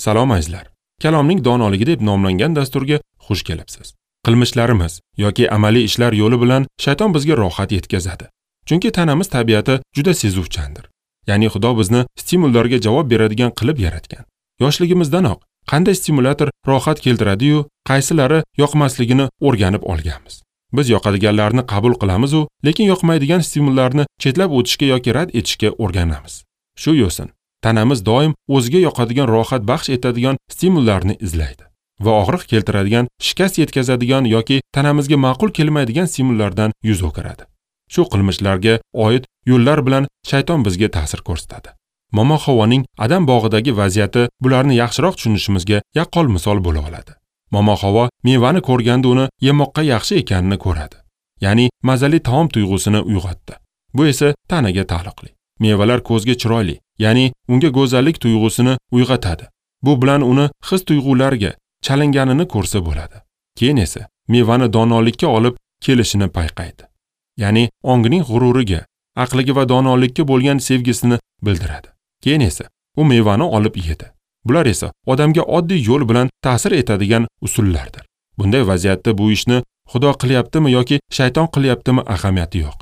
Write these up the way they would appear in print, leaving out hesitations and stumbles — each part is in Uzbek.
Salom azizlar. Kalomning donoligi deb nomlangan dasturga xush kelibsiz. Qilmishlarimiz yoki amaliy ishlar yo'li bilan shayton bizga rohat yetkazadi. Chunki tanamiz tabiati juda sezuvchandir. Ya'ni Xudo bizni stimullarga javob beradigan qilib yaratgan. Yoshligimizdanoq qanday stimulyator rohat keltiradi-yu, qaysilari yoqmasligini o'rganib olganmiz. Biz yoqadiganlarni qabul qilamiz-u, lekin yoqmaydigan stimullarni chetlab o'tishga yoki rad etishga o'rganamiz. Shu yo'sin tanamiz doim o'ziga yoqadigan, rohat baxsh etadigan stimullarni izlaydi va og'riq keltiradigan, shikast yetkazadigan yoki tanamizga ma'qul kelmaydigan stimullardan yuz o'giradi. Shu qilmishlarga oid yo'llar bilan shayton bizga ta'sir ko'rsatadi. Momo Havoning Adam bog'idagi vaziyati bularni yaxshiroq tushunishimizga yaqqol misol bo'la oladi. Momo Havo mevani ko'rganda uni yemoqqa yaxshi ekanini ko'radi. Ya'ni mazali taom tuyg'usini uyg'otdi. Bu esa tanaga taalluqli. Mevalar ko'zga chiroyli, ya'ni unga go'zallik tuyg'usini uyg'otadi. Bu bilan uni his tuyg'ularga chalinganini ko'rsa bo'ladi. Keyin esa mevani donolikka olib kelishini payqaydi. Ya'ni ongining g'ururiga, aqliga va donolikka bo'lgan sevgisini bildiradi. Keyin esa u mevani olib yedi. Bular esa odamga oddiy yo'l bilan ta'sir etadigan usullardir. Bunday vaziyatda bu ishni Xudo qilyaptimi yoki shayton qilyaptimi ahamiyati yo'q.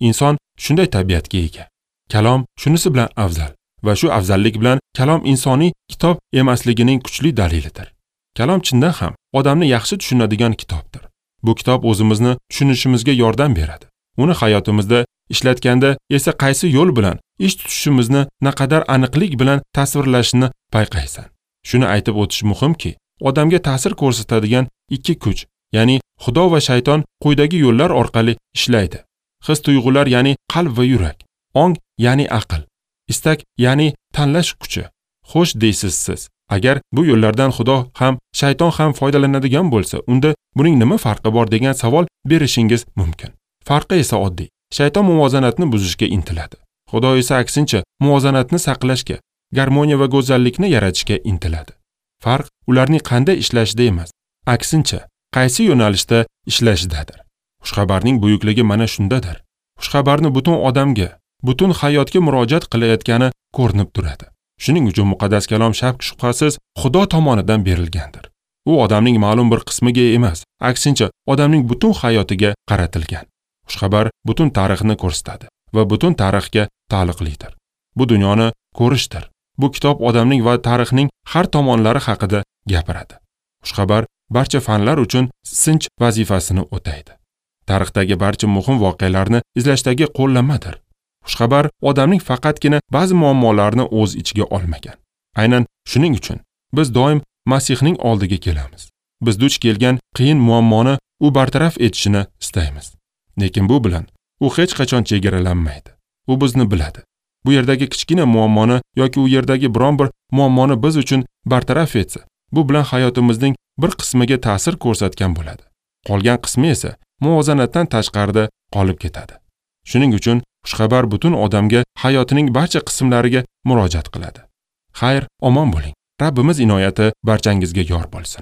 Inson shunday tabiatga ega. Kalom shunisi bilan afzal va shu afzallik bilan kalom insoniy kitob emasligining kuchli dalilidir. Kalom chindan ham odamni yaxshi tushunadigan kitobdir. Bu kitob o'zimizni tushunishimizga yordam beradi. Uni hayotimizda ishlatganda esa qaysi yo'l bilan ish tutishimizni naqadar aniqlik bilan tasvirlashini payqaysan. Shuni aytib o'tish muhimki, odamga ta'sir ko'rsatadigan ikki kuch, ya'ni Xudo va shayton quyidagi yo'llar orqali ishlaydi. His tuyg'ular, ya'ni qalb va yurak, ong, ya'ni aql, istak, ya'ni tanlash kuchi. Xo'sh deysiz siz, agar bu yo'llardan Xudo ham, shayton ham foydalanadigan bo'lsa, unda buning nima farqi bor degan savol berishingiz mumkin. Farqi esa oddiy. Shayton muvozanatni buzishga intiladi. Xudo esa aksincha muvozanatni saqlashga, garmoniya va go'zallikni yaratishga intiladi. Farq ularning qanday ishlashida emas, aksincha qaysi yo'nalishda ishlashidadir. Xushxabarning buyukligi mana shundadir. Xushxabarni butun odamga, butun hayotga murojaat qilayotgani ko'rinib turadi. Shuning uchun muqaddas kalom shak shubhasiz Xudo tomonidan berilgandir. U odamning ma'lum bir qismiga emas, aksincha odamning butun hayotiga qaratilgan. Xushxabar butun tarixni ko'rsatadi va butun tarixga taalluqlidir. Bu dunyoni ko'rishdir. Bu kitob odamning va tarixning har tomonlari haqida gapiradi. Xushxabar barcha fanlar uchun sinch vazifasini o'taydi. Tarixdagi barcha muhim voqealarni izlashdagi qo'llanmadir. Xushxabar odamning faqatgina ba'zi muammolarni o'z ichiga olmagan. Aynan shuning uchun biz doim Masihning oldiga kelamiz. Biz duch kelgan qiyin muammoni u bartaraf etishini istaymiz. Lekin bu bilan u hech qachon chegaralanmaydi. U bizni biladi. Bu yerdagi kichkina muammoni yoki u yerdagi biron bir muammoni biz uchun bartaraf etsa, bu bilan hayotimizning bir qismiga ta'sir ko'rsatgan bo'ladi. Qolgan qismi esa muvozanatdan tashqarida qolib ketadi. Shuning uchun xushxabar butun odamga, hayotining barcha qismlariga murojaat qiladi. Xayr, omon bo'ling. Rabbimiz inoyati barchangizga yor bo'lsin.